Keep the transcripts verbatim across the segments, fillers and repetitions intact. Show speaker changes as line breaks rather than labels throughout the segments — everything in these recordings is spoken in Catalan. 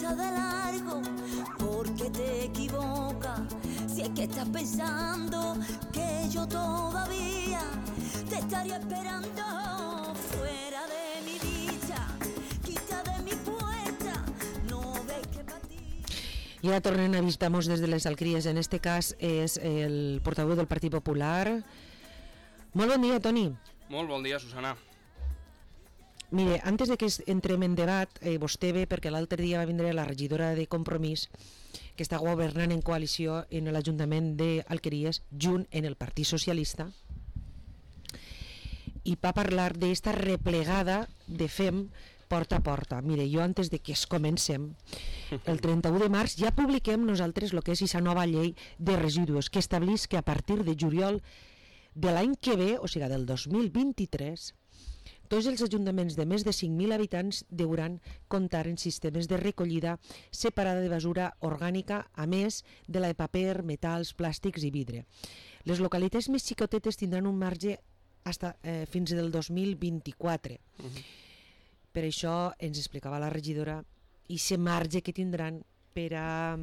pasa de largo porque te equivocas. Si es que estás pensando que yo todavía te estaría esperando fuera de mi dicha, quita de mi puerta, no ves que para ti.
I ara tornem a visitar-nos des de les Alcries. En este cas és el portaveu del Partit Popular. Molt bon dia, Toni.
Molt bon dia, Susana.
Mire, antes de que entrem en debat, eh, vostè ve perquè l'altre dia va vindre la regidora de Compromís, que està governant en coalició en l'Ajuntament d'Alqueries, junt en el Partit Socialista, i va parlar d'esta replegada de fem porta a porta. Mire, jo antes de que es comencem, el trenta-u de març ja publiquem nosaltres el que és aquesta nova llei de residus, que estableix que a partir de juliol de l'any que ve, o sigui del dos mil vint-i-tres, tots els ajuntaments de més de cinc mil habitants hauran comptar en sistemes de recollida separada de basura orgànica, a més de la de paper, metalls, plàstics i vidre. Les localitats més xicotetes tindran un marge hasta, eh, fins del dos mil vint-i-quatre. Uh-huh. Per això ens explicava la regidora i aquest marge que tindran per a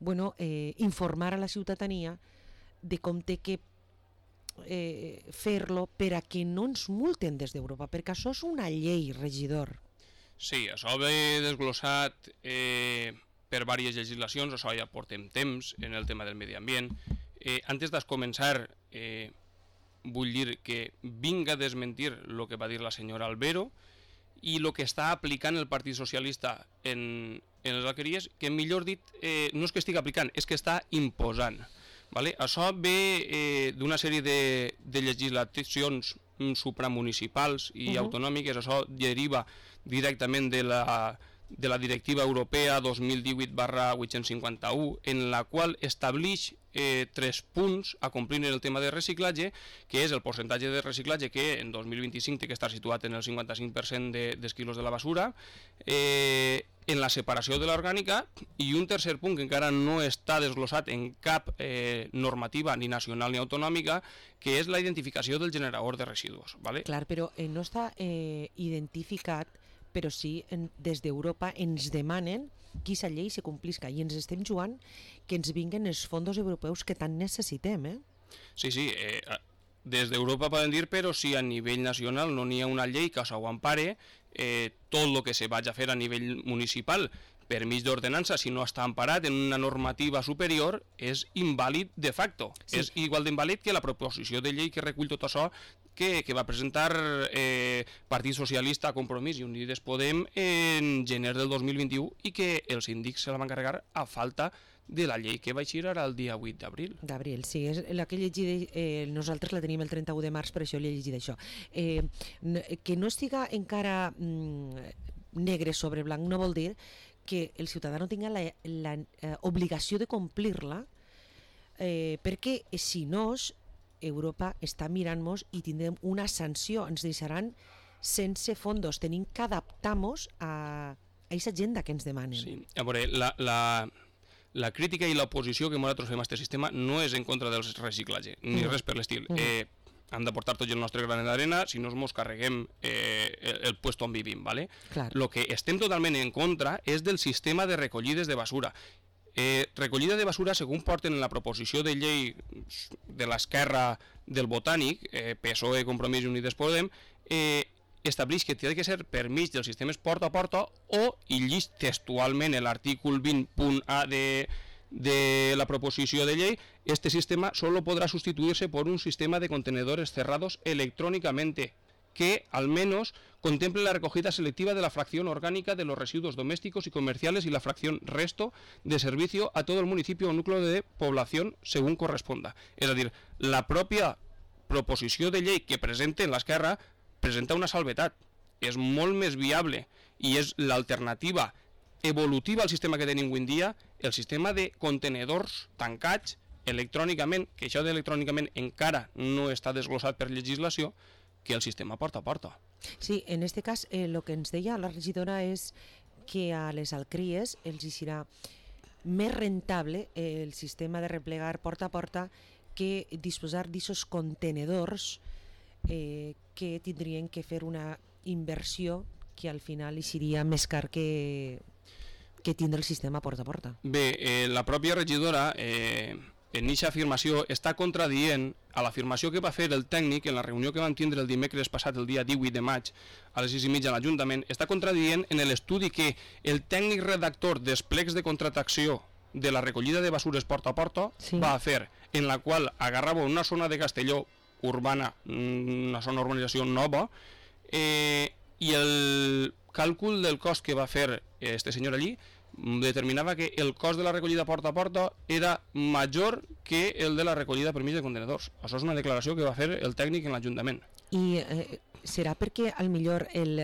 bueno, eh, informar a la ciutadania de com té que Eh, fer-lo per a que no ens multen des d'Europa, perquè això és una llei, regidor.
Sí, això ve desglossat eh, per diverses legislacions, això ja portem temps en el tema del medi ambient. Eh, antes de començar, eh, vull dir que vinga a desmentir el que va dir la senyora Albero i el que està aplicant el Partit Socialista en, en les Alqueries, que millor dit, eh, no és que estigui aplicant, és que està imposant. Vale? Això ve eh, d'una sèrie de, de legislacions supramunicipals i uh-huh. autonòmiques. Això deriva directament de la, de la directiva europea dos mil divuit barra vuit-cents cinquanta-u, en la qual estableix eh, tres punts a complir en el tema de reciclatge, que és el percentatge de reciclatge que en dos mil vint-i-cinc té que estar situat en el cinquanta-cinc per cent de, dels quilos de la basura, eh, en la separació de l'orgànica, i un tercer punt que encara no està desglossat en cap eh, normativa ni nacional ni autonòmica, que és la identificació del generador de residus. ¿Vale?
Clar, però eh, no està eh, identificat, però sí, en, des d'Europa ens demanen que aquesta llei se complisca i ens estem jugant que ens vinguen els fons europeus que tant necessitem, eh?
Sí, sí, eh, des d'Europa poden dir, però si a nivell nacional no n'hi ha una llei que s'ho empare, eh, tot el que se vagi a fer a nivell municipal per mig d'ordenança, si no està emparat en una normativa superior, és invàlid de facto. Sí. És igual d'invàlid que la proposició de llei que recull tot això que, que va presentar eh, Partit Socialista, Compromís i Unides Podem en gener del dos mil vint-i-u i que els síndics se la van carregar a falta de la llei que va eixir ara el dia vuit d'abril.
D'abril, sí, és la que he llegit, eh, nosaltres la tenim el trenta-u de març, per això l'he llegit això. Eh, que no estiga encara mm, negre sobre blanc no vol dir que el ciutadà no tinga la, la eh, obligació de complir-la, eh, perquè si no, Europa està mirant-nos i tindrem una sanció, ens deixaran sense fondos, tenim que adaptar-nos a aquesta agenda que ens demanen.
Sí, a veure, la, la, la crítica i l'oposició que nosaltres fem a aquest sistema no és en contra del reciclatge, ni mm. res per l'estil. Mm. Eh, hem de portar tots el nostre granet d'arena, si no ens carreguem eh, el, el puesto on vivim, ¿vale? El que estem totalment en contra és del sistema de recollides de basura. Eh, recollida de basura, segons porten en la proposició de llei de l'esquerra del Botànic, eh, P S O E, Compromís i Unides Podem, eh, estableix que té que ser per mig dels sistemes porta a porta o, i llis textualment l'artícul vint punt A de, de la proposició de llei, este sistema solo podrá sustituirse por un sistema de contenedores cerrados electrónicamente que al menos contemple la recogida selectiva de la fracción orgánica de los residuos domésticos y comerciales y la fracción resto de servicio a todo el municipio o núcleo de población según corresponda. És a dir, la pròpia proposició de llei que presenten l'esquerra presenta una salvetat. És molt més viable i és l'alternativa evolutiva al sistema que tenim avui en dia, el sistema de contenedors tancats electrònicament, que això d'electrònicament encara no està desglossat per legislació, que el sistema porta a porta.
Sí, en este cas, eh, lo que ens deia la regidora és que a les Alcries els serà més rentable eh, el sistema de replegar porta a porta que disposar d'aquests contenedors eh, que tindrien que fer una inversió que al final hi seria més car que... que tindre el sistema porta a porta.
Bé, eh, la pròpia regidora eh, en aquesta afirmació està contradient a l'afirmació que va fer el tècnic en la reunió que vam tindre el dimecres passat, el dia divuit de maig, a les sis i mitja a l'Ajuntament, està contradient en l'estudi que el tècnic redactor dels plecs de contractació de la recollida de basures porta a porta sí. va fer, en la qual agarrava una zona de Castelló urbana, una zona d'urbanització nova, eh, i el càlcul del cost que va fer este senyor allí determinava que el cost de la recollida porta a porta era major que el de la recollida per mig de contenedors. Això és una declaració que va fer el tècnic en l'Ajuntament.
I eh, serà perquè al millor el,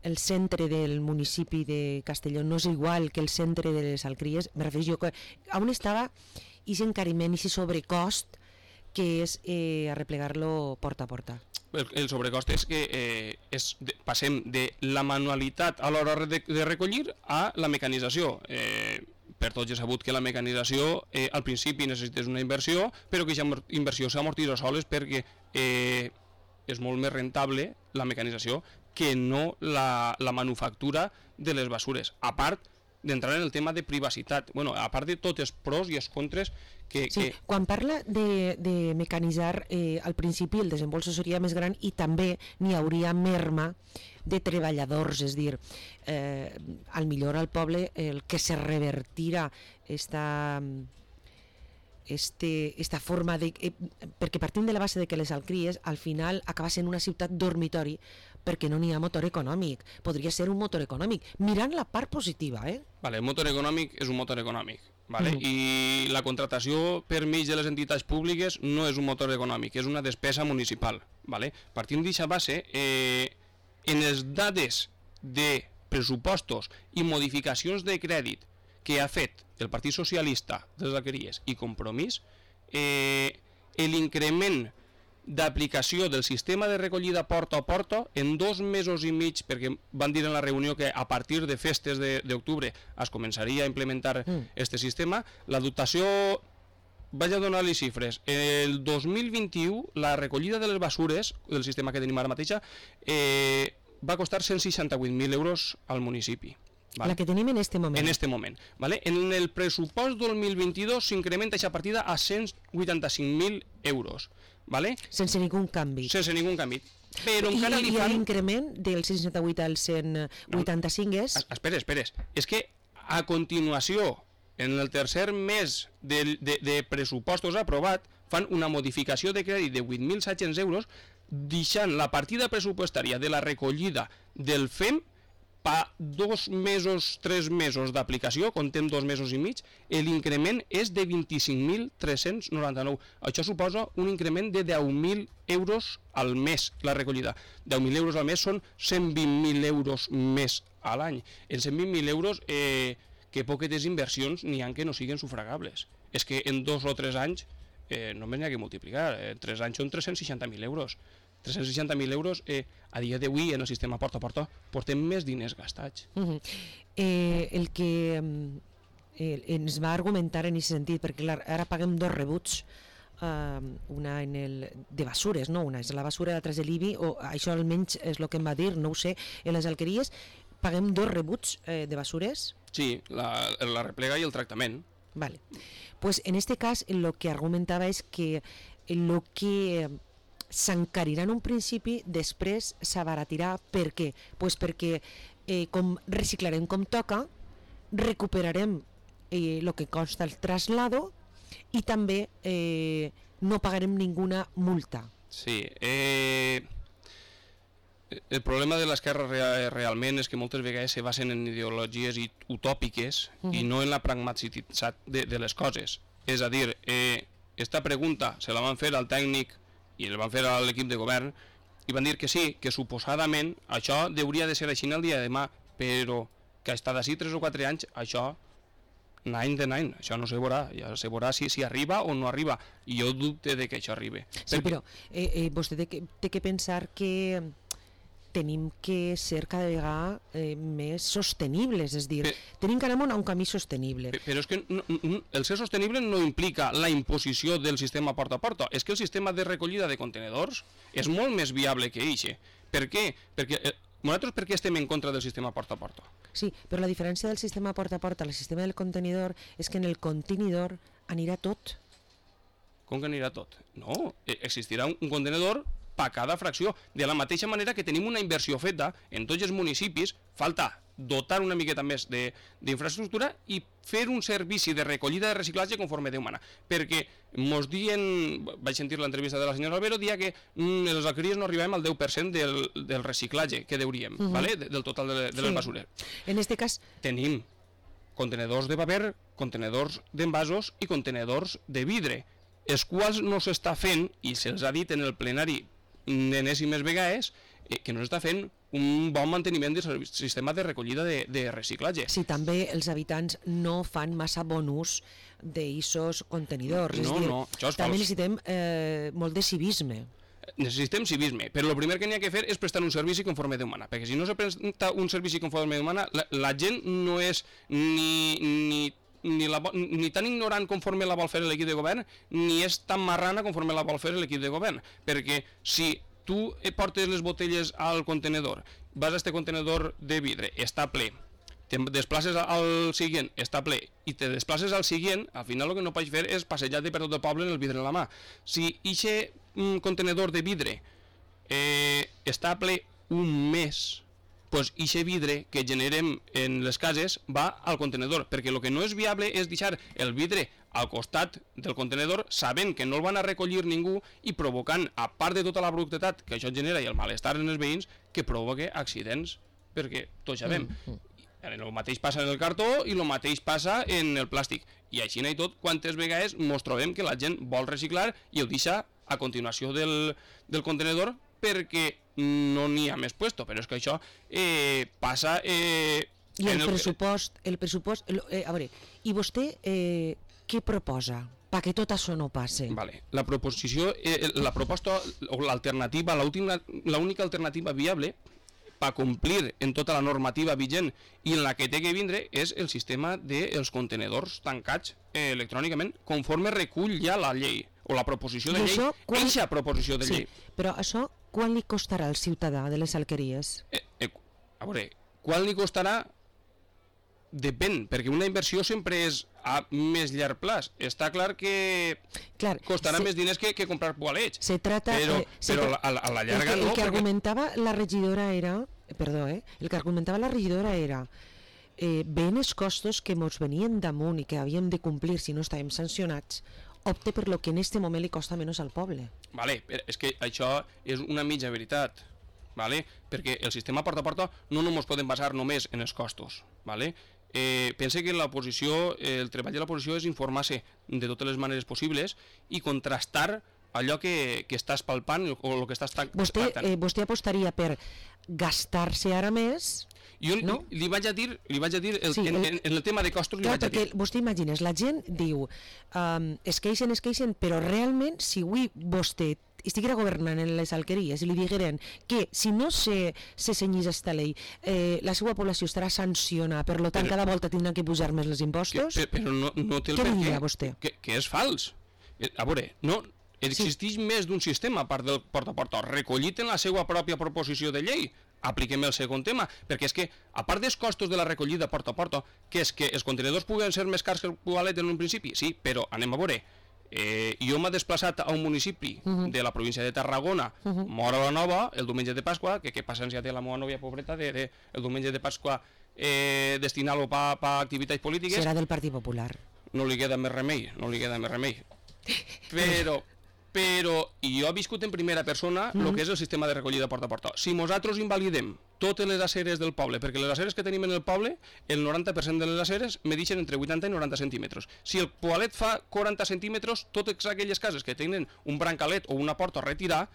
el centre del municipi de Castelló no és igual que el centre de les Alcries? Me refereixo jo que on estava aquest encariment, aquest sobrecost que és eh, arreplegar-lo porta a porta?
El, el sobrecost és que eh, és de, passem de la manualitat a l'hora de, de recollir a la mecanització. Eh, per tots és sabut que la mecanització eh, al principi necessites una inversió, però que aquesta inversió s'amortitza soles perquè eh, és molt més rentable la mecanització que no la, la manufactura de les basures. A part d'entrar en el tema de privacitat, bueno, a part de tots els pros i els contres que...
Sí,
que...
quan parla de, de mecanitzar, eh, al principi el desembolso seria més gran i també n'hi hauria merma de treballadors, és dir, eh, al millor al poble el que se revertirà esta, este, esta forma de... Eh, perquè partim de la base de que les Alcries al final acaba sent una ciutat dormitori perquè no n'hi ha motor econòmic. Podria ser un motor econòmic, mirant la part positiva, eh?
Vale, el motor econòmic és un motor econòmic, vale? Mm. I la contractació per mig de les entitats públiques no és un motor econòmic, és una despesa municipal, vale? Partint d'aquesta base, eh, en les dades de pressupostos i modificacions de crèdit que ha fet el Partit Socialista de les Alqueries i Compromís, eh, l'increment d'aplicació del sistema de recollida porta a porta en dos mesos i mig, perquè van dir en la reunió que a partir de festes d'octubre es començaria a implementar mm. este sistema, la dotació, vaig a donar les xifres, el dos mil vint-i-u la recollida de les basures del sistema que tenim ara mateixa eh, va costar cent seixanta-vuit mil euros al municipi. Vale.
La que tenim en este moment.
En este moment. Vale? En el pressupost del dos mil vint-i-dos s'incrementa aquesta partida a cent vuitanta-cinc mil euros. Vale?
Sense ningú canvi.
Sense ningú canvi. Però encara
I,
li
i
fan...
l'increment del cent seixanta-vuit al cent vuitanta-cinc és...
Espera, espera. És que a continuació, en el tercer mes de, de, de pressupostos aprovat, fan una modificació de crèdit de vuit mil set-cents euros, deixant la partida pressupostària de la recollida del F E M pa dos mesos, tres mesos d'aplicació, contem dos mesos i mig, l'increment és de vint-i-cinc mil tres-cents noranta-nou. Això suposa un increment de deu mil euros al mes, la recollida. deu mil euros al mes són cent vint mil euros més a l'any. En cent vint mil euros, eh, que poquetes inversions n'hi ha que no siguin sufragables. És que en dos o tres anys eh, només n'hi ha que multiplicar. En tres anys són tres-cents seixanta mil euros. tres-cents seixanta mil euros, eh, a dia d'avui en el sistema porta a porta portem més diners gastats.
Uh -huh. eh, el que eh, ens va argumentar en aquest sentit, perquè clar, ara paguem dos rebuts, uh, una en el, de basures, no? Una és la basura, l'altra és de l'I B I, o això almenys és el que em va dir, no ho sé, en les Alqueries paguem dos rebuts eh, de basures?
Sí, la, la replega i el tractament.
Vale. Pues en este cas el que argumentava és que el que s'encarirà en un principi, després s'abaratirà. Per què? Pues perquè eh, com reciclarem com toca, recuperarem el eh, que consta el traslado i també eh, no pagarem ninguna multa.
Sí, eh, el problema de l'esquerra real, realment és que moltes vegades se basen en ideologies utòpiques uh -huh. i no en la pragmaticitat de, de les coses. És a dir, eh, esta pregunta se la van fer al tècnic i el van fer a l'equip de govern i van dir que sí, que suposadament això hauria de ser així el dia de demà, però que ha estat així tres o quatre anys, això any de any, això no se veurà, ja se veurà si, si arriba o no arriba, i jo dubte de que això arribi.
Sí, però eh, eh, vostè té que, té que pensar que tenim que ser cada vegada eh, més sostenibles, és dir, però, tenim que anar a un camí sostenible.
Però és que no, no, el ser sostenible no implica la imposició del sistema porta a porta, és que el sistema de recollida de contenedors és molt més viable que eixe. Per què? Perquè eh, nosaltres per què estem en contra del sistema porta a porta?
Sí, però la diferència del sistema porta a porta al sistema del contenidor és que en el contenidor anirà tot.
Com que anirà tot? No, existirà un contenidor per cada fracció. De la mateixa manera que tenim una inversió feta en tots els municipis, falta dotar una miqueta més d'infraestructura i fer un servici de recollida de reciclatge conforme Déu mana. Perquè mos diuen, vaig sentir l'entrevista de la senyora Albero, dia que mm, els alqueries no arribem al deu per cent del, del reciclatge que deuríem, uh -huh. ¿vale? del total de, de sí. les basures.
En este cas...
Tenim contenedors de paper, contenedors d'envasos i contenedors de vidre, els quals no s'està fent, i se'ls ha dit en el plenari enèsimes vegades, eh, que no s'està fent un bon manteniment del sistema de recollida de, de reciclatge.
Sí, també els habitants no fan massa bon ús d'aixos contenidors.
No,
és dir,
no, això és
també
fals.
necessitem eh, molt de civisme.
Necessitem civisme, però el primer que n'hi ha que fer és prestar un servici conforme Déu mana, perquè si no se presta un servici conforme Déu mana, la, la gent no és ni, ni, ni, la, ni tan ignorant conforme la vol fer l'equip de govern, ni és tan marrana conforme la vol fer l'equip de govern, perquè si tu portes les botelles al contenedor, vas a este contenedor de vidre, està ple, te desplaces al següent, està ple, i te desplaces al següent, al final el que no pots fer és passejar-te per tot el poble amb el vidre en la mà. Si aquest mm, contenedor de vidre eh, està ple un mes, doncs aquest vidre que generem en les cases va al contenedor, perquè el que no és viable és deixar el vidre al costat del contenedor sabent que no el van a recollir ningú i provocant, a part de tota la brutetat que això genera i el malestar en els veïns, que provoque accidents, perquè tots sabem. Mm -hmm. El mateix passa en el cartó i el mateix passa en el plàstic. I així i tot, quantes vegades ens trobem que la gent vol reciclar i ho deixa a continuació del, del contenedor perquè no n'hi ha més puesto, però és que això eh, passa... Eh,
I el, el pressupost, el pressupost... Eh, a veure, i vostè eh, què proposa perquè tot això no passe?
Vale. La proposició, eh, la proposta o l'alternativa, l'única alternativa viable per complir en tota la normativa vigent i en la que té que vindre és el sistema dels contenedors tancats eh, electrònicament, conforme recull ja la llei, o la proposició de llei,
això, quan...
eixa proposició de
sí,
llei.
Però això, quan li costarà al ciutadà de les alqueries?
Eh, eh, a veure, quan li costarà? Depèn, perquè una inversió sempre és a més llarg plaç. Està clar que clar, costarà se, més diners que, que comprar poalets.
Se trata,
però,
eh,
però
se,
a, la, a la llarga
el que,
no.
El que
perquè...
argumentava la regidora era, perdó, eh, el que argumentava la regidora era eh, veient els costos que ens venien damunt i que havíem de complir si no estàvem sancionats, opte per lo que en este moment li costa menys al poble.
Vale, és que això és una mitja veritat, vale? Perquè el sistema porta a porta no només podem basar només en els costos, vale? Eh, pense que l'oposició, eh, el treball de l'oposició és informar-se de totes les maneres possibles i contrastar allò que, que estàs palpant o el que estàs tractant.
Vostè, eh, vostè apostaria per gastar-se ara més?
Jo
no?
li, li vaig a dir, li vaig a dir el, sí, el, en, en el tema de costos,
clar,
li vaig a dir.
Vostè imagines, la gent diu um, es queixen, es queixen, però realment si avui vostè estiguera governant en les alqueries i li digueren que si no se, se cenyís esta llei eh, la seva població estarà sancionada, per lo tant però, cada volta tindran que pujar més els impostos,
que, però no, no té el
què
per
diria
què,
vostè?
Que, que és fals. A veure, no, existeix sí. més d'un sistema a part del porta a porta, recollit en la seva pròpia proposició de llei. Apliquem el segon tema, perquè és que a part dels costos de la recollida porta a porta, que és que els contenidors puguen ser més cars que el poalet en un principi, sí, però anem a veure. Eh, jo m'he desplaçat a un municipi uh -huh. de la província de Tarragona, uh -huh. Móra la Nova, el diumenge de Pasqua, que què passència té la meva nòvia pobreta de, de, el diumenge de Pasqua eh, destinar-lo per pa activitats polítiques.
Serà del Partit Popular.
No li queda més remei, no li queda més remei. Però, però jo he viscut en primera persona el uh -huh. que és el sistema de recollida porta a porta. Si nosaltres invalidem totes les aceres del poble, perquè les aceres que tenim en el poble, el noranta per cent de les aceres medixen entre vuitanta i noranta centímetres. Si el poalet fa quaranta centímetres, totes aquelles cases que tenen un brancalet o una porta a retirar,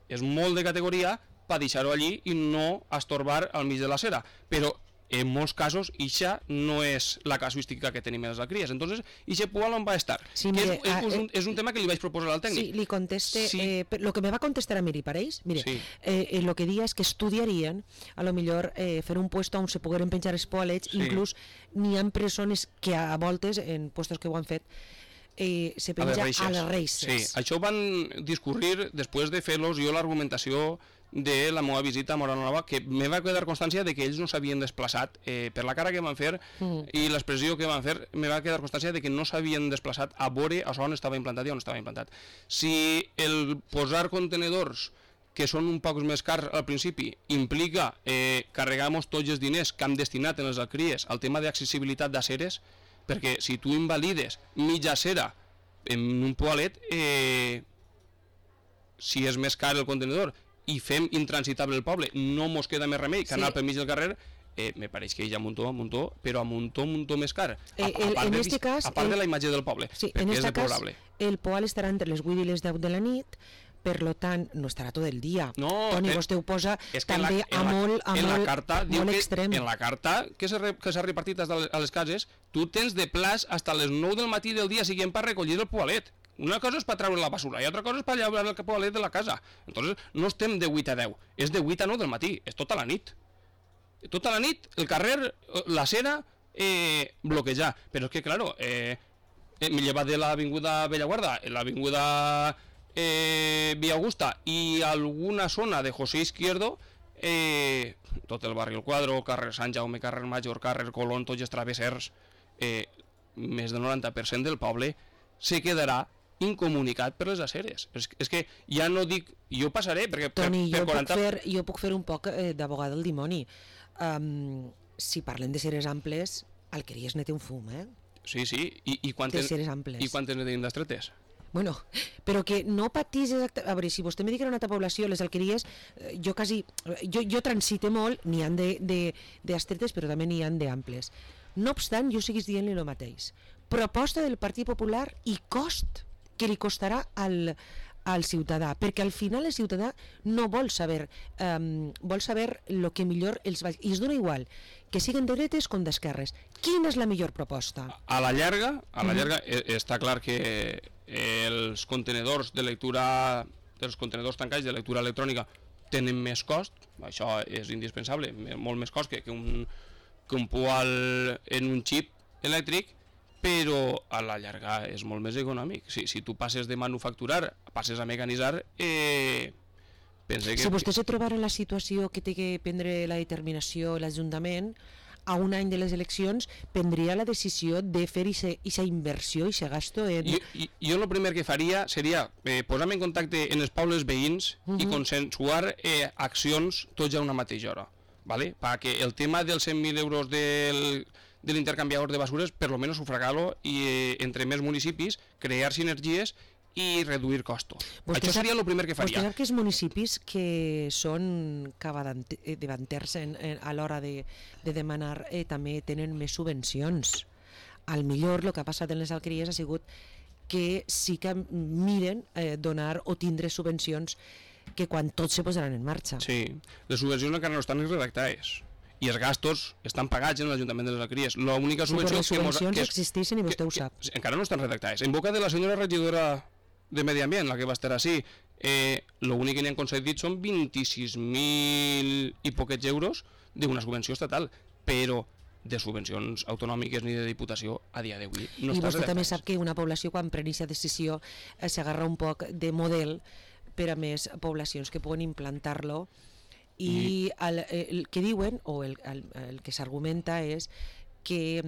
és molt de categoria per deixar-ho allí i no estorbar al mig de l'acera. Però en molts casos, ixa no és la casuística que tenim en les alqueries. Entonces, ixe poal on va estar?
Sí,
que
mire,
és, és,
ah,
és, un, és un tema que li vaig proposar al tècnic.
Sí, li conteste...
Sí.
Eh, lo que me va contestar a mi, pareix? Mire,
sí.
eh, eh, lo que dia és que estudiarien, a lo millor, eh, fer un puesto on se pogueren penjar els poalets, sí. Inclús n'hi ha persones que a voltes, en puestos que ho han fet, eh, se penja a les, a les reixes.
Sí, això ho van discurrir després de fer-los jo l'argumentació de la meva visita a Móra Nova, que me va quedar constància de que ells no s'havien desplaçat, eh, per la cara que van fer mm. i l'expressió que van fer, me va quedar constància de que no s'havien desplaçat a veure a on estava implantat i on estava implantat. Si el posar contenedors que són un poc més cars al principi, implica eh, carregar-nos tots els diners que hem destinat en les alcries al tema d'accessibilitat d'aceres, perquè si tu invalides mitja acera en un poalet, eh, si és més car el contenedor i fem intransitable el poble, no mos queda més remei que sí. anar pel mig del carrer, eh, me pareix que hi ha muntó, muntó, però a muntó, muntó més car. A,
eh, el, a part,
de,
este cas,
a part
el,
de la imatge del poble,
sí,
perquè
en
és
deplorable. Cas, el poal estarà entre les vuit i les deu de la nit, per lo tant, no estarà tot el dia.
No,
Toni,
eh,
vostè ho posa també
la,
a molt, a
en
molt,
la carta,
molt
que,
extrem.
En la carta que s'ha repartit a les cases, tu tens de plaç fins a les nou del matí del dia siguiente per recollir el poalet. Una cosa és per treure la basura i altra cosa és per llaurar el poalet de la casa. Entonces, no estem de vuit a deu, és de vuit a nou del matí, és tota la nit. Tota la nit, el carrer, l'acera, eh, bloquejar. Però és que, claro, eh, m'he llevat de l'avinguda Bellaguarda, l'avinguda eh, Via Augusta i alguna zona de José Izquierdo, eh, tot el barri El Quadro, carrer Sant Jaume, carrer Major, carrer Colón, tots els travessers, eh, més del noranta per cent del poble se quedarà incomunicat per les aceres. És, és que ja no dic, jo passaré, perquè
Toni,
per, per
jo,
quaranta...
puc fer, jo puc fer un poc eh, d'abogada del dimoni. Um, si parlem de ceres amples, Alqueries ne té un fum, eh?
Sí, sí, i, i quantes, i quantes ne tenim d'estretes?
Bueno, però que no patís exactament... A veure, si vostè me dic que era una altra població, les Alqueries, jo quasi... Jo, jo transite molt, n'hi han d'estretes, però també n'hi han d'amples. No obstant, jo seguís dient-li el mateix. Proposta del Partit Popular i cost que li costarà al, al ciutadà, perquè al final el ciutadà no vol saber, um, vol saber el que millor els va... I es dona igual que siguin de dretes com d'esquerres. Quina és la millor proposta?
A la llarga, a la llarga mm. està clar que els contenedors de lectura, els contenedors tancats de lectura electrònica tenen més cost, això és indispensable, molt més cost que, que, un, que un poal en un xip elèctric, però a la llarga és molt més econòmic. Si, si tu passes de manufacturar, passes a mecanitzar, eh, pense que...
Si vostè se trobara en la situació que té que prendre la determinació l'Ajuntament, a un any de les eleccions prendria la decisió de fer aquesta inversió i aquest gasto en...
Jo, jo el primer que faria seria eh, posar-me en contacte en els pobles veïns uh -huh. i consensuar eh, accions tots a una mateixa hora, ¿vale? Perquè el tema dels cent mil euros del... de l'intercanviador de basures, per lo menos sufragar-lo i eh, entre més municipis crear sinergies i reduir costos. Vostè Això seria el primer que faria.
Vostè sap que els municipis que són capdavanters a l'hora de, de demanar eh, també tenen més subvencions. Al millor el que ha passat en les Alqueries ha sigut que sí que miren eh, donar o tindre subvencions que quan tots se posaran en marxa.
Sí, les subvencions encara no estan redactades i els gastos estan pagats en l'Ajuntament de les Alqueries. L'única subvenció
sí, les subvencions que existeixen i vostè ho sap.
Que, encara no estan redactades. En boca de la senyora regidora de Medi Ambient, la que va estar així, eh, l'únic que n'hi han concedit són vint-i-sis mil i poquets euros d'una subvenció estatal, però de subvencions autonòmiques ni de diputació a dia d'avui no
I
està
vostè
redactat.
també sap que una població quan pren aquesta decisió eh, s'agarra un poc de model per a més poblacions que puguen implantar-lo i el, el que diuen o el, el, el que s'argumenta és que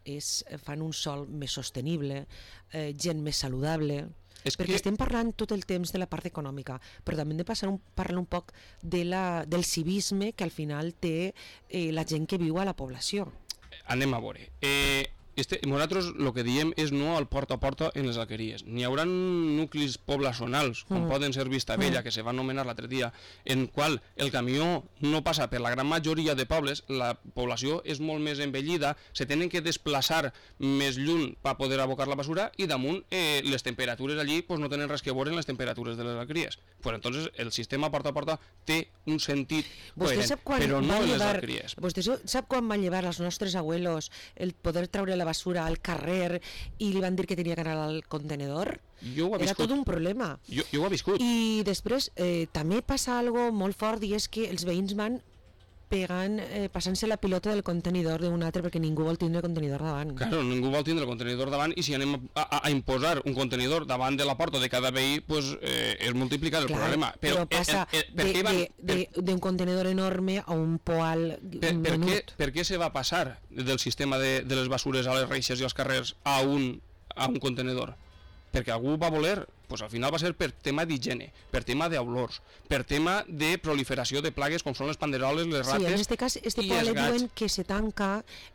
és, fan un sòl més sostenible, eh, gent més saludable, és perquè que... estem parlant tot el temps de la part econòmica, però també hem de passar un, parlar un poc de la, del civisme que al final té eh, la gent que viu a la població.
Anem a veure. Eh, este, nosaltres el que diem és no al porta a porta en les Alqueries. N'hi haurà nuclis poblacionals, com mm. poden ser Vistabella, mm. que se va anomenar l'altre dia, en qual el camió no passa per la gran majoria de pobles, la població és molt més envellida, se tenen que desplaçar més lluny per poder abocar la basura i damunt eh, les temperatures allí pues, no tenen res que veure en les temperatures de les Alqueries. Pues entonces el sistema porta a porta té un sentit coherent, però no en les Alqueries.
Vostè sap quan van llevar els nostres abuelos el poder treure la basura al carrer i li van dir que tenia que anar al contenedor?
Jo ho he
Era
viscut.
tot un problema.
Jo, jo ho he viscut.
I després eh, també passa algo molt fort i és que els veïns van pegant, eh, passant-se la pilota del contenidor d'un altre perquè ningú vol tindre el contenidor davant.
Claro, ningú vol tindre el contenidor davant i si anem a, a, a imposar un contenidor davant de la porta de cada veí, pues, eh, és multiplicar el
Clar,
problema.
Però, però passa eh, eh, eh, van, d'un contenidor enorme a un poal
per, per
menut.
Què, per què se va passar del sistema de, de les basures a les reixes i als carrers a un, a un contenedor? Perquè algú va voler, pues al final va ser per tema d'higiene, per tema d'olors, per tema de proliferació de plagues com són les panderoles, les rates.
Sí, en este cas, este poalet diuen que se tanca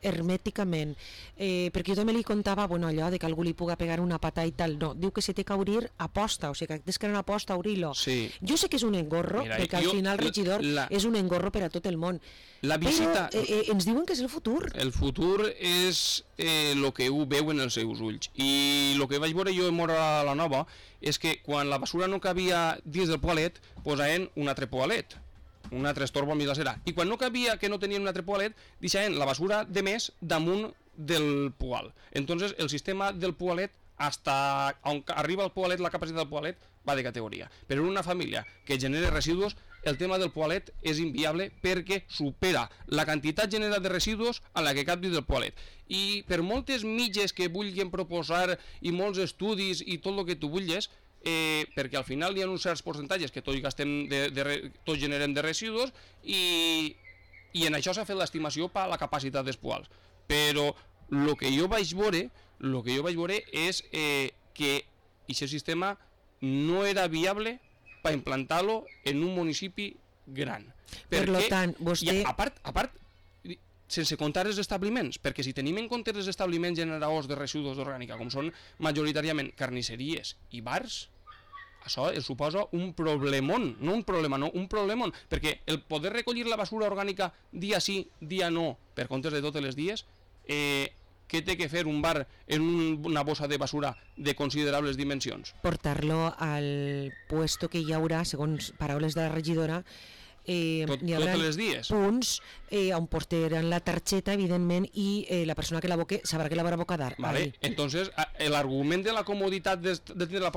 hermèticament, eh, perquè jo també li contava, bueno, allò de que algú li puga pegar una pata i tal, no, diu que se té que obrir a posta, o sigui que tens que anar a posta a obrir-lo.
Sí.
Jo sé que és un engorro, Mira, perquè al final el regidor la, és un engorro per a tot el món.
La visita,
però eh, eh, ens diuen que és el futur.
El futur és el eh, que ho veu en els seus ulls. I el que vaig veure jo en Mora a la Nova és que quan la basura no cabia dins del poalet, posaven un altre poalet, un altre estorbo a mig la cera. I quan no cabia, que no tenien un altre poalet, deixaven la basura de més damunt del poal. Entonces el sistema del poalet, hasta on arriba el poalet, la capacitat del poalet, va de categoria. Però en una família que genera residus, el tema del poalet és inviable perquè supera la quantitat generada de residus a la que cap dins del poalet. I per moltes mitges que vulguin proposar i molts estudis i tot el que tu vulguis, eh, perquè al final hi ha uns certs percentatges que tots gastem de, de, tots generem de residus i, i en això s'ha fet l'estimació per la capacitat dels poals. Però el que jo vaig veure, el que jo vaig veure és eh, que aquest sistema no era viable per implantar-lo en un municipi gran.
Per lo tant, vostè...
I a part, a part, sense comptar els establiments, perquè si tenim en compte els establiments generadors de residus orgànica, com són majoritàriament carnisseries i bars, això es suposa un problemón, no un problema, no, un problemón, perquè el poder recollir la basura orgànica dia sí, dia no, per comptes de totes les dies, eh, què té que fer un bar en un, una bossa de basura de considerables dimensions?
Portar-lo al puesto que hi haurà, segons paraules de la regidora, eh,
Tot,
hi haurà
totes les dies.
punts eh, on portaran la targeta, evidentment, i eh, la persona que la boque sabrà que la haurà bocar d'ara.
Vale. Entonces, l'argument de la comoditat de, de tenir la,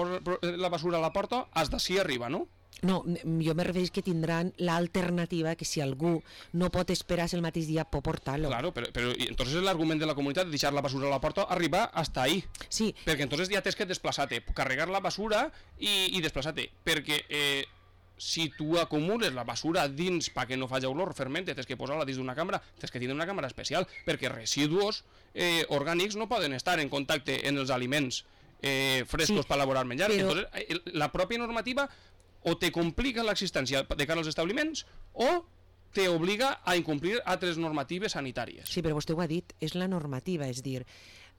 la basura a la porta has d'ací arriba, no?
No, jo me refereix que tindran l'alternativa que si algú no pot esperar el mateix dia pot portar-lo.
Claro, però, però entonces és l'argument de la comunitat de deixar la basura a la porta arribar hasta ahí.
Sí.
Perquè entonces ja tens que desplaçar-te, carregar la basura i, i desplaçar-te, perquè eh, si tu acumules la basura dins perquè no faci olor, fermente, tens que posar-la dins d'una càmera, tens que tindre una càmera especial, perquè residus eh, orgànics no poden estar en contacte en els aliments eh, frescos sí, per elaborar menjar. Però... Entonces, la pròpia normativa o te complica l'existència de cara als establiments o te obliga a incomplir altres normatives sanitàries.
Sí, però vostè ho ha dit, és la normativa, és dir,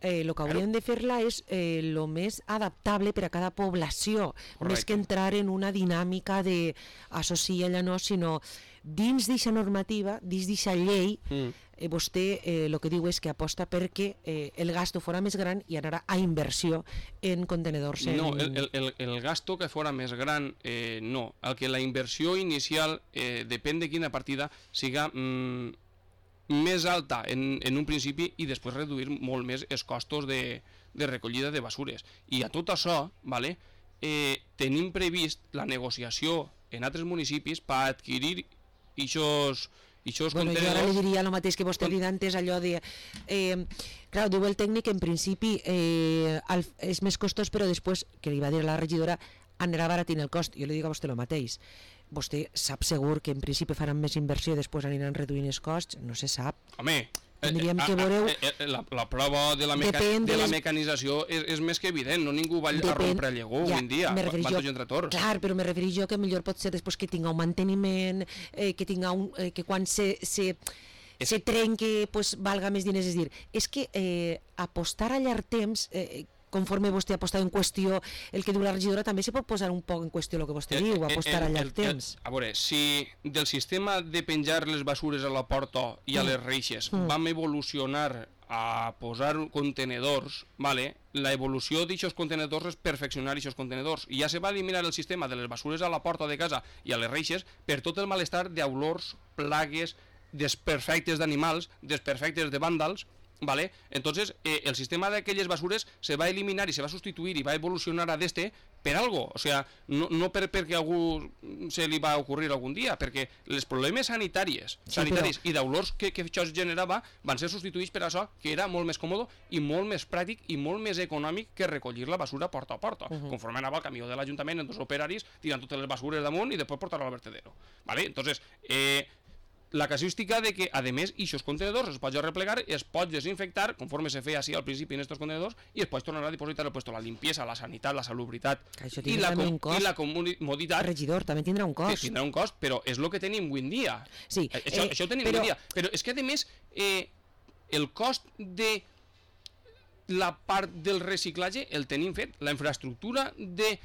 el eh, que hauríem de fer-la és el eh, més adaptable per a cada població, correcte, més que entrar en una dinàmica de associar-la no, sinó dins d'aquesta normativa, dins d'aquesta llei, mm. eh, vostè el eh, que diu és que aposta perquè eh, el gasto fora més gran i anarà a inversió en contenedors. En...
No, el, el, el gasto que fora més gran, eh, no. El que la inversió inicial, eh, depèn de quina partida, siga mm, més alta en, en un principi i després reduir molt més els costos de, de recollida de basures. I a tot això, vale, eh, tenim previst la negociació en altres municipis per adquirir ixos, ixos
bueno,
contenedors...
Jo ara li diria el mateix que vostè ha dit antes, allò de... Eh, clar, diu el tècnic, en principi eh, el, és més costós, però després, que li va dir a la regidora, anirà baratint el cost. Jo li dic a vostè el mateix. Vostè sap segur que en principi faran més inversió i després aniran reduint els costs? No se sap.
Home...
Tindríem que veureu...
La, la prova de la, meca... de la mecanització és, és més que evident, no ningú va Depèn... a rompre llegó ja, avui en dia, van tots entre tots.
Clar, però me refereix jo que millor pot ser després que tinga un manteniment, eh, que tinga un... Eh, que quan se... se és... se trenque, pues, valga més diners. És dir, és que eh, apostar a llarg temps... Eh, conforme vostè ha posat en qüestió el que diu la regidora, també se pot posar un poc en qüestió el que vostè el, diu, apostar el, el, a llarg el, temps.
El, a veure, si del sistema de penjar les basures a la porta i a les reixes mm. vam evolucionar a posar contenedors, vale? La evolució d'aquests contenedors és perfeccionar aquests contenedors. I ja se va eliminar el sistema de les basures a la porta de casa i a les reixes per tot el malestar d'olors, plagues, desperfectes d'animals, desperfectes de vàndals, ¿vale? Entonces, eh, el sistema de aquelles basures se va a eliminar y se va a sustituir y va a evolucionar a d'este per algo, o sea, no, no per, perquè a algú se li va ocurrir algun dia, perquè els problemes sanitaris,
Sí,
sanitaris
però-
i d'olors que, que això es generava van ser substituïts per això, que era molt més còmode i molt més pràctic i molt més econòmic que recollir la basura porta a porta. Uh -huh. Conforme anava el camió de l'Ajuntament en dos operaris tirant totes les basures damunt i després portar-lo al vertedero. ¿Vale? Entonces, eh, la casuística de que, a més, aquests contenedors es pot replegar, es pot desinfectar, conforme se feia així al principi en aquests contenedors, i es pot tornar a dipositar el puesto la limpieza, la sanitat, la salubritat
Això
i
tindrà
la,
també
com
un cost.
i la comoditat.
Regidor, també tindrà un
Sí,
cost.
tindrà un cost, però és el que tenim avui en dia.
Sí,
Eh, Això,
eh,
això ho tenim
però-
avui en dia. Però és que, a més, eh, el cost de la part del reciclatge el tenim fet. La infraestructura de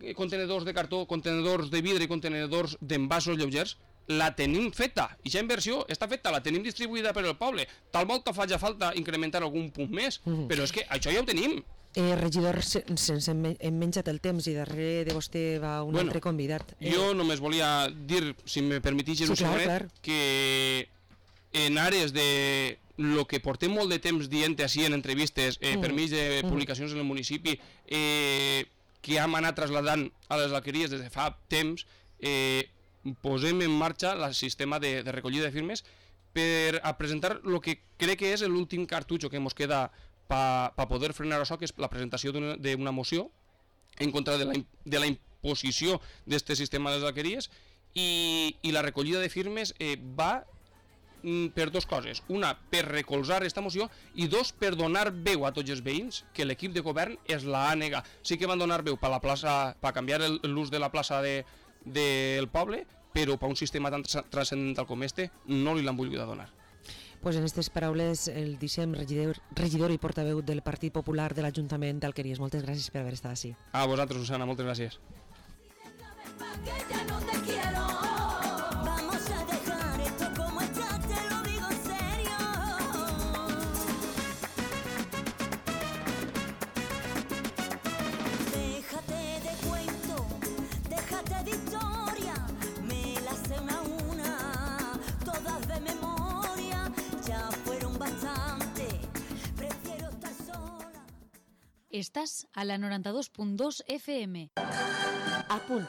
eh, contenedors de cartó, contenedors de vidre i contenedors d'envasos lleugers la tenim feta. I aquesta inversió està feta, la tenim distribuïda per el poble. Tal volta faci falta incrementar algun punt més,
Mhm.
però és que això ja ho tenim.
Eh, regidor, se- sense hem hem menjat el temps i darrere de vostè va un
Bueno,
altre convidat. Eh,
Jo només volia dir, si me permetís,
Sí,
un
clar,
següent,
clar.
que en àrees de lo que portem molt de temps dient així en entrevistes, eh,
Mm.
per mig de
Mm.
publicacions en el municipi, eh, que hem anat trasladant a les alqueries des de fa temps, eh, posem en marxa el sistema de, de recollida de firmes per a presentar el que crec que és l'últim cartutxo que ens queda per pa poder frenar això, que és la presentació d'una d'una moció en contra de la, im- de la imposició d'aquest sistema de les alqueries, i, i la recollida de firmes eh, va mm, per dues coses. Una, per recolzar aquesta moció, i dos, per donar veu a tots els veïns, que l'equip de govern es la ha negat. Sí que van donar veu per la plaça, per canviar el- l'ús de la plaça de, del poble, però per un sistema tan tra- transcendental com este no li l'han volgut donar.
Pues en aquestes paraules el deixem regidor, regidor i portaveu del Partit Popular de l'Ajuntament d'Alqueries. Moltes gràcies per haver estat així.
A vosaltres, Susana, moltes gràcies.
Que ya no te quiero. Vamos a dejar esto como está, te lo digo en serio. Déjate de cuento, déjate de historia. Me las sé una a una, todas de memoria. Ya fueron bastante, prefiero estar sola.
Estàs a la noranta-dos punt dos F M.
A punt.